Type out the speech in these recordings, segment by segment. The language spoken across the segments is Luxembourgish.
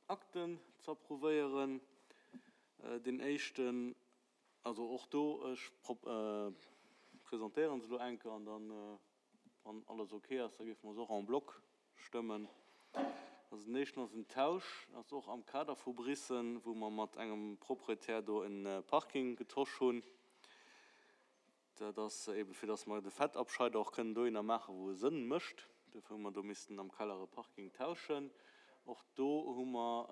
Akten ze approuvéieren. Deen éischten, also och do, ech presentéieren se elo eng Kéier an dann, wann alles ok ass, da géife mer se och en bloc stëmmen. Also den éischten ass en Tausch, ass och am Kader vu Biissen, wou mer mat engem Proprietär do e Parking getosch hunn. Dat ass eeben, fir dass mer de Fettabscheider och kënnen dohinner maachen, wou e Sënn mécht. Dofir hu mer do missten am Keller e Parking tauschen. Och do hu mer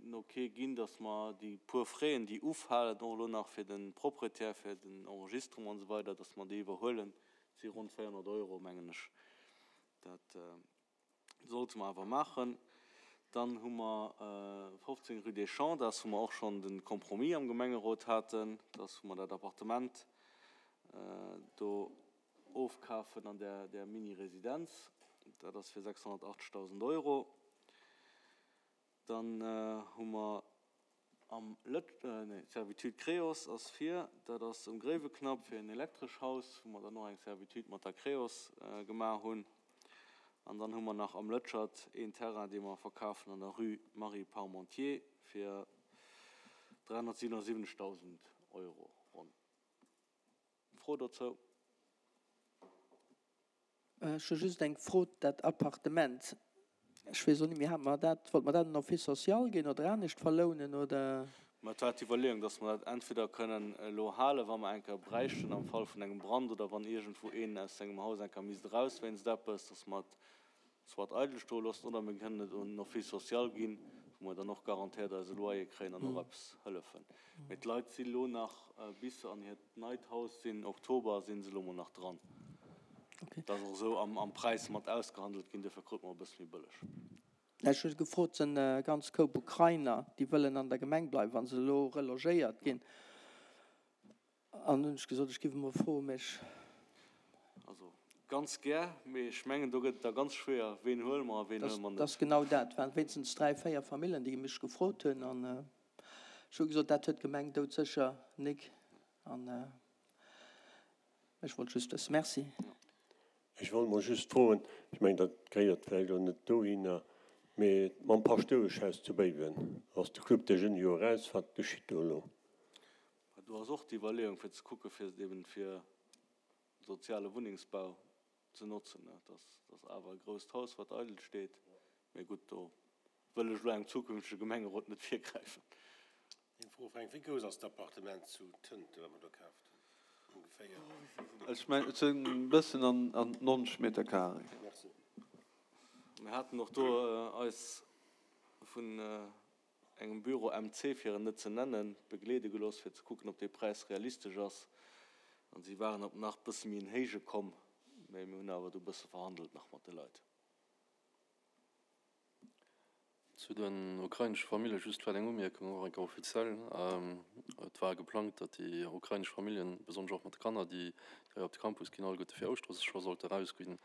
en Ok ginn, dass mer déi puer Fräen, déi ufalen, och elo nach fir de Proprietär, fir den Enregistrement an esou weider, dass mer déi iwwerhuelen. Dat si ronn 400 Euro, mengen ech. Dat sollte mer awer maachen. Dann hu mer 15 rue des Champs, dat ass wou mer och schonn de Compromis am Gemengerot haten, dass wou mer dat Appartement do ofkafen an där där Mini-Residenz. Dat ass fir 680.000 Euro. Dann hu mer am Lëtsch, nee, d'Servitude Creos ass vir, dat ass um Gréiweknapp fir en elektresch Haus, wou mer dann och eng Servitude mat der Creos gemaach hunn. An dann hu mer nach am Lëtschert een Terrain, dee mer verkafen an der Rue Marie Parmentier fir 377.000 Euro ronn. Fro dozou? Ech hu just eng Fro, dat Appartement, ech weess och net méi, hate mer dat, wollte mer dat un Office social ginn oder anescht verlounen oder? Mä et war d'Iwwerleeung, dass mer dat entweder kënnen elo halen, wa mer eng Kéier bräichten am Fall vun engem Brand oder wann iergendwou een aus sengem Haus eng Kéier misst eraus wéinst eppes, dass mer et soit eidel stoe loossen oder mir kënnen et un den Office social ginn, wou mer dann och garantéiert eise Loyer kréien an och eppes hëllefen. Mee d'Leit si lo nach, bis se an hiert neit Haus sinn, Oktober, si se lo mol nach dran. Dat ass och esou am Präis mat ausgehandelt ginn, duerfir krute mer e bësse méi bëlleg. Ech hu gefrot, et sinn e ganz Koup Ukrainer, déi wëllen an der Gemeng bleiwen, wa se elo relogéiert ginn. An hunn ech gesot, ech giff emol froen, mee ech. Also ganz gär, mee ech mengen, do gëtt et da ganz schwéier, ween huele mer a ween huele mer net. Dat ass genau dat. Et waren wéinstens 3, 4 Famillen, déi mech gefrot hunn. An ech hu gesot, dat huet d'Gemeng doudsécher nik. An ech wollt just wëssen. Merci. Ech wollt mol just froen, ech mengen, dat gehéiert vläicht elo net dohinner, mee mam Paschtoueschhaus zu Béiwen ass de Club des Jeunes jo eraus. Wat geschitt do elo? Mä do ass och d'Iwwerleeung, fir ze kucken, fir et eben fir soziale Wunnengsbau ze notzen. Dat ass awer e grousst Haus, wat eidel steet. Mee gutt, do wëll ech elo engem zukünftege Gemengerot net virgräifen. Eng Fro, Fränk, Wéi grouss ass d'Appartement zu Tënten, wat mer do kaaft hunn, ongeféier? Ech mengen, et sinn e bëssen an 90 Meter carré. Merci. Mir haten och do eis vun engem Büro MC, fir en net ze nennen, begleede gelooss, fir ze kucken, ob dee Präis realistesch ass. An si waren op nach bësse méi en héije komm, mä mir hunn awer do bësse verhandelt nach mat de Leit. Zu den ukrainesche Famillje just vläicht eng Umierkung, och eng Kéier offiziell. Et war geplangt, datt déi ukrainesch Familljen, besonnesch och mat de Kanner, déi hei op de Campus ginn, alleguerte fir Ouschtere scho sollte erausginn.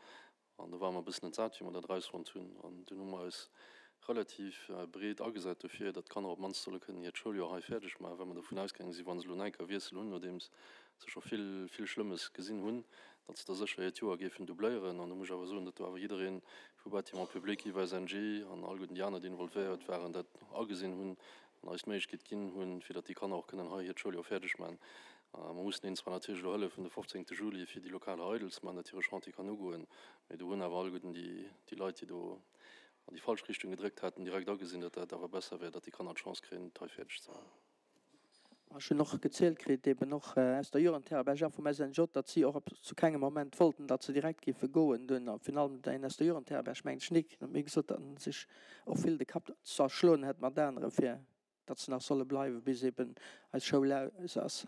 An do ware mer e bëssen entsat, wéi mer dat erausfonnt hunn. An dunn hu mer eis relativ breet agesat dofir, datt d'Kanner op d'mannst solle kënnen hiert Schouljoer hei fäerdeg maachen, well mer dovun ausgaange sinn, wa se elo en enker Wiessel hunn, nodeems se scho vill, vill Schlëmmes gesinn hunn, datt se da sécher hiert Joer géifen doubléieren. An do muss ech awer soen, datt do awer jidderee vu Bâtiments publics iwwer SNG an alleguerten déi aner, déi involvéiert waren, dat agesinn hunn an eis d'Méiglechkeet ginn hunn, fir datt déi Kanner och kënnen hei hiert Schouljoer fäerdeg maachen. Mer mussen hinnen zwar natierlech elo hëllefen de 15 Juli fir déi Lokaler eidel ze maachen, datt hire Chantier kann ugoen, mee do hunn awer alleguerten déi déi Leit, déi do an déi falsch Richtung gedréckt haten, direkt agesinn, datt dat awer besser wär, datt déi Kanner d'Chance kréien, et hei fäerdeg ze maachen. Ech hunn och gezielt kritt, eben och aus der Jugendherberg a vum SNJ, datt si och zu kengem Moment wollten, datt se direkt géife goen. Dunn, a virun allem deen aus der Jugendherberg, mengen ech, Nic, huet mir gesot, datt en sech och vill de Kapp zerschloen hätt mat anere fir datt se nach solle bleiwen, bis eben eis Schoul aus ass.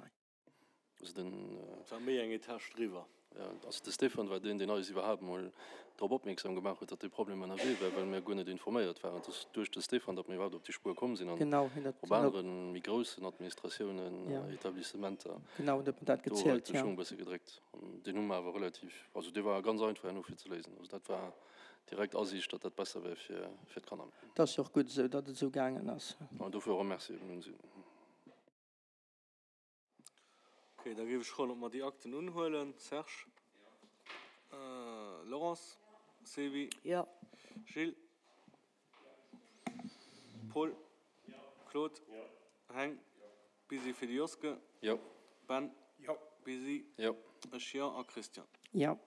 Also den. Et war méi eng Etage driwwer. Jo, also de Stéphane war deen, deen eis iwwerhaapt emol drop opmierksam gemaach huet, datt dee Problem ënnerwee war, well mir guer net informéiert waren. Et ass duerch de Stéphane, datt mir iwwerhaapt op déi Spuer komm sinn an op anere méi groussen Administratiounen, Etablissementer, do huet de Schung e bësse gedréckt. An deen hu mer awer relativ, also dee war ganz einfach herno fir ze léisen. Also dat war direkt Asiicht, datt dat besser wär fir d'Kanner. Et ass jo och gutt esou, datt et esou gaangen ass. An dofir och e Merci eben un si. Ok, da géif ech froen, ob mer déi Akten unhuelen. Serge? Jo. Laurence? Sylvie? Jo. Gilles? Paul? Claude? Heng? Busy fir de Joske? Jo. Ben? Jo. Busy? Jo. Ech jo. A Christian? Jo.